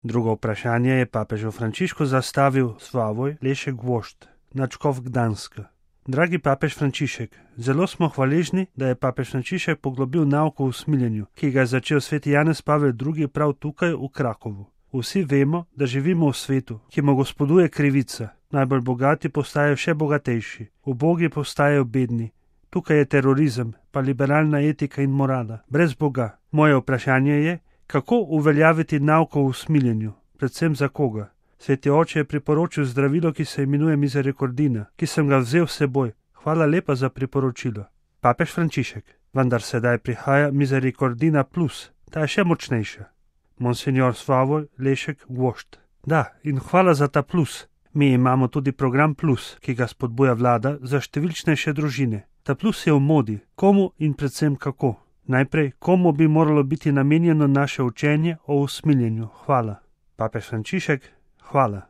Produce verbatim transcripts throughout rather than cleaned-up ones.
Drugo vprašanje je papežu Frančišku zastavil Slavoj Lešek Gvožd, nadškof Gdanska. Dragi papež Frančišek, zelo smo hvaležni, da je papež Frančišek poglobil nauko o usmiljenju, ki ga je začel sveti Janez Pavel drugi prav tukaj v Krakovu. Vsi vemo, da živimo v svetu, ki mu gospoduje krivica. Najbolj bogati postajajo še bogatejši, ubogi postajajo bedni. Tukaj je terorizem, pa liberalna etika in morala, brez Boga. Moje vprašanje je, kako uveljaviti nauko o usmiljenju, predvsem za koga? Sveti oče je priporočil zdravilo, ki se imenuje Misericordina, ki sem ga vzel s seboj. Hvala lepa za priporočilo. Papež Frančišek, vendar sedaj prihaja Misericordina plus, ta je še močnejša. Monsignor Slavoj Lešek Gvožd. Da, in hvala za ta plus. Mi imamo tudi program plus, ki ga spodbuja vlada za številčnejše družine. Ta plus je v modi, komu in predvsem kako. Najprej, komu bi moralo biti namenjeno naše učenje o usmiljenju. Hvala. Papež Frančišek, hvala.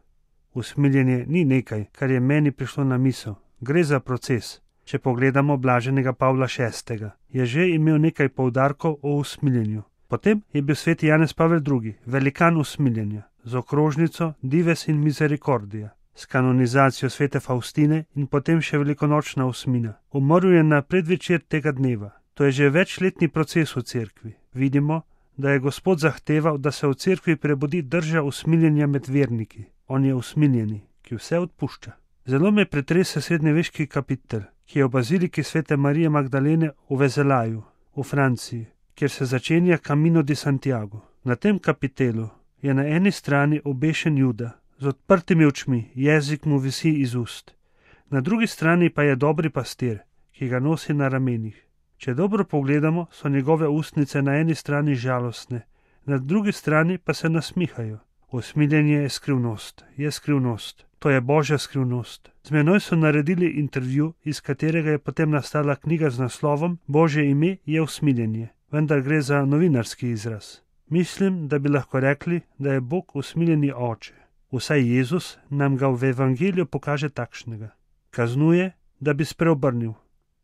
Usmiljenje ni nekaj, kar je meni prišlo na misel. Gre za proces. Če pogledamo blaženega Pavla šestega, je že imel nekaj poudarkov o usmiljenju. Potem je bil sveti Janez Pavel drugi, velikan usmiljenja, z okrožnico Dives in Misericordija, s kanonizacijo svete Faustine in potem še velikonočna osmina. Umrl je na predvečer tega dneva. To je že večletni proces v cerkvi. Vidimo, da je Gospod zahteval, da se v cerkvi prebudi drža usmiljenja med verniki. On je usmiljeni, ki vse odpušča. Zelo me pretrese srednjeveški kapitel, ki je v baziliki svete Marije Magdalene v Vezelaju, v Franciji, kjer se začenja Camino di Santiago. Na tem kapitelu je na eni strani obešen Juda, z odprtimi očmi, jezik mu visi iz ust. Na drugi strani pa je dobri pastir, ki ga nosi na ramenih. Če dobro pogledamo, so njegove ustnice na eni strani žalostne, na drugi strani pa se nasmihajo. Usmiljenje je skrivnost, je skrivnost. To je Božja skrivnost. Z menoj so naredili intervju, iz katerega je potem nastala knjiga z naslovom Božje ime je usmiljenje, vendar gre za novinarski izraz. Mislim, da bi lahko rekli, da je Bog usmiljeni oče. Vsaj Jezus nam ga v evangeliju pokaže takšnega. Kaznuje, da bi spreobrnil.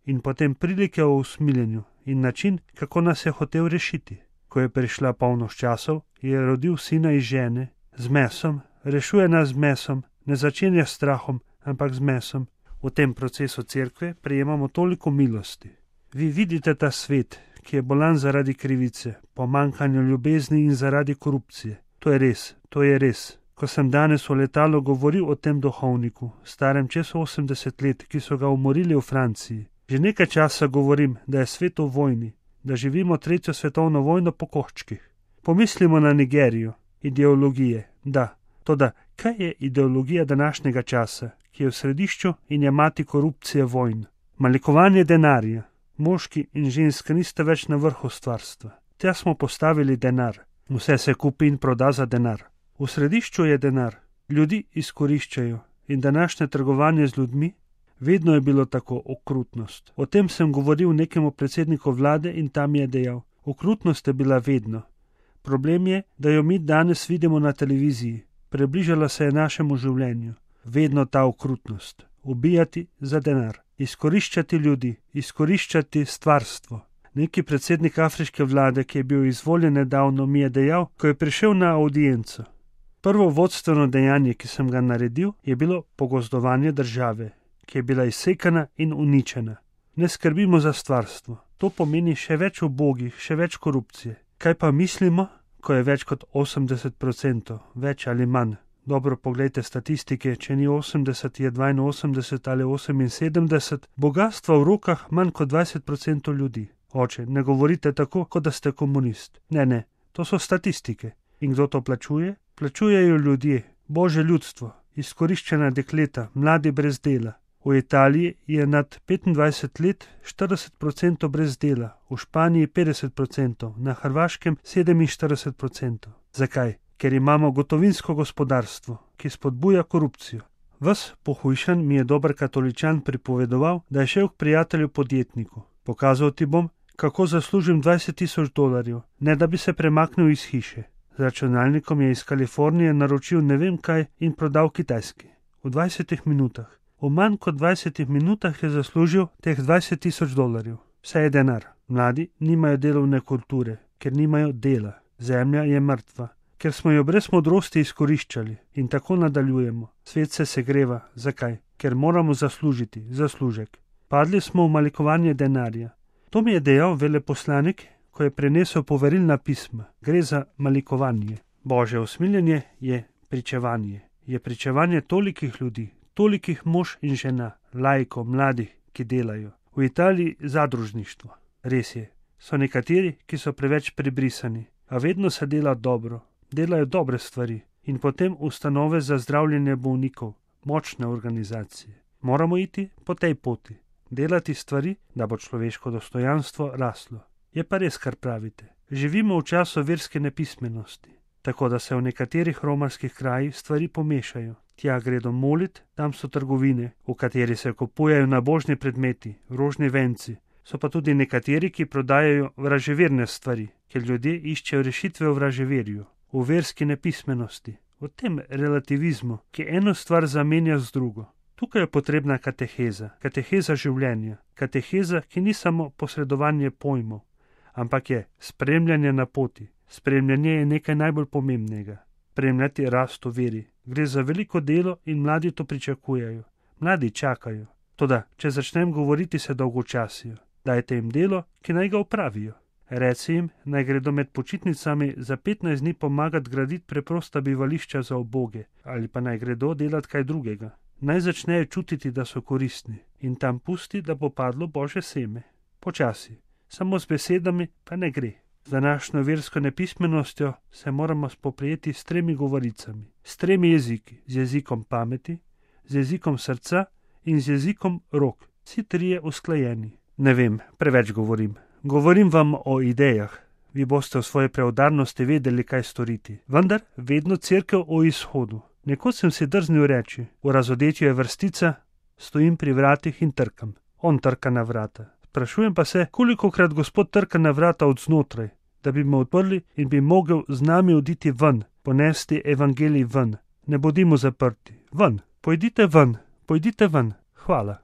In potem prilike o usmiljenju in način, kako nas je hotel rešiti. Ko je prišla polnoč časov, je rodil sina iz žene, z mesom, rešuje nas z mesom, ne začenja s strahom, ampak z mesom. V tem procesu cerkve prejemamo toliko milosti. Vi vidite ta svet, ki je bolan zaradi krivice, pomanjkanja ljubezni in zaradi korupcije. To je res, to je res. Ko sem danes v letalu govoril o tem duhovniku, starem čez osemdeset let, ki so ga umorili v Franciji, že nekaj časa govorim, da je svet v vojni, da živimo tretjo svetovno vojno po koščkih. Pomislimo na Nigerijo, ideologije, da, toda kaj je ideologija današnjega časa, ki je v središču in je mati korupcije vojn? Malikovanje denarja. Moški in ženska nista več na vrhu stvarstva. Tja smo postavili denar. Vse se kupi in proda za denar. V središču je denar. Ljudi izkoriščajo in današnje trgovanje z ljudmi. Vedno je bilo tako, okrutnost. O tem sem govoril nekemu predsedniku vlade in tam je dejal, okrutnost je bila vedno. Problem je, da jo mi danes vidimo na televiziji. Približala se je našemu življenju. Vedno ta okrutnost. Ubijati za denar. Izkoriščati ljudi, izkoriščati stvarstvo. Neki predsednik afriške vlade, ki je bil izvoljen nedavno, mi je dejal, ko je prišel na audienco. Prvo vodstveno dejanje, ki sem ga naredil, je bilo pogozdovanje države, ki je bila izsekana in uničena. Ne skrbimo za stvarstvo. To pomeni še več ubogih, še več korupcije. Kaj pa mislimo, ko je več kot osemdeset procentov, več ali manj? Dobro, poglejte statistike, če ni osemdeset, je dvainosemdeset ali oseminsedemdeset, bogatstva v rokah manj kot dvajset procentov ljudi. Oče, ne govorite tako, kot da ste komunist. Ne, ne, to so statistike. In kdo to plačuje? Plačujejo ljudje, Božje ljudstvo, izkoriščena dekleta, mladi brez dela. V Italiji je nad petindvajset let štirideset procentov brez dela, v Španiji petdeset procentov, na Hrvaškem sedeminštirideset procentov. Zakaj? Ker imamo gotovinsko gospodarstvo, ki spodbuja korupcijo. Ves pohujšan mi je dober katoličan pripovedoval, da je šel k prijatelju podjetniku. Pokazal ti bom, kako zaslužim dvajset tisoč dolarjev, ne da bi se premaknil iz hiše. Z računalnikom je iz Kalifornije naročil ne vem kaj in prodal Kitajski. V dvajsetih minutah. V manj kot dvajsetih minutah je zaslužil teh dvajset tisoč dolarjev. Vse je denar. Mladi nimajo delovne kulture, ker nimajo dela. Zemlja je mrtva. ker smo jo brez modrosti izkoriščali in tako nadaljujemo. Svet se segreva. Zakaj? Ker moramo zaslužiti, zaslužek. Padli smo v malikovanje denarja. To mi je dejal veleposlanik, ko je prenesel poverilna pisma. Gre za malikovanje. Božje usmiljenje je pričevanje. Je pričevanje tolikih ljudi, tolikih mož in žena, laikov, mladih, ki delajo. V Italiji zadružništvo. Res je, so nekateri, ki so preveč prebrisani, a vedno se dela dobro, delajo dobre stvari in potem ustanove za zdravljenje bolnikov, močne organizacije. Moramo iti po tej poti, delati stvari, da bo človeško dostojanstvo raslo. Je pa res, kar pravite. Živimo v času verske nepismenosti, tako da se v nekaterih romarskih krajih stvari pomešajo. Tja gredo molit, tam so trgovine, v kateri se kupujejo nabožni predmeti, rožni venci. So pa tudi nekateri, ki prodajajo vraževerne stvari, ker ljudje iščejo rešitve v vraževerju, v verski nepismenosti, v tem relativizmu, ki eno stvar zamenja z drugo. Tukaj je potrebna kateheza, kateheza življenja, kateheza, ki ni samo posredovanje pojmov, ampak je spremljanje na poti. Spremljanje je nekaj najbolj pomembnega. Spremljati rast v veri. Gre za veliko delo in mladi to pričakujejo. Mladi čakajo. Toda, če začnem govoriti, se dolgočasijo. Dajte jim delo, ki naj ga opravijo. Reci jim, naj gredo med počitnicami za petnajst dni pomagati graditi preprosta bivališča za uboge, ali pa naj gredo delati kaj drugega. Naj začnejo čutiti, da so koristni in tam pusti, da bo padlo Božje seme. Počasi, samo z besedami pa ne gre. Z današnjo versko nepismenostjo se moramo spoprijeti s tremi govoricami, s tremi jeziki, z jezikom pameti, z jezikom srca in z jezikom rok. Vsi trije usklajeni. Ne vem, preveč govorim. Govorim vam o idejah. Vi boste v svoje preudarnosti vedeli, kaj storiti. Vendar vedno cerkev o izhodu. Nekoč sem si drznil reči, v razodetju je vrstica, stojim pri vratih in trkam. On trka na vrata. Sprašujem pa se, kolikokrat Gospod trka na vrata od znotraj, da bi me odprli in bi mogel z nami oditi ven, ponesti evangelij ven. Ne bodimo zaprti. Ven. Pojdite ven. Pojdite ven. Hvala.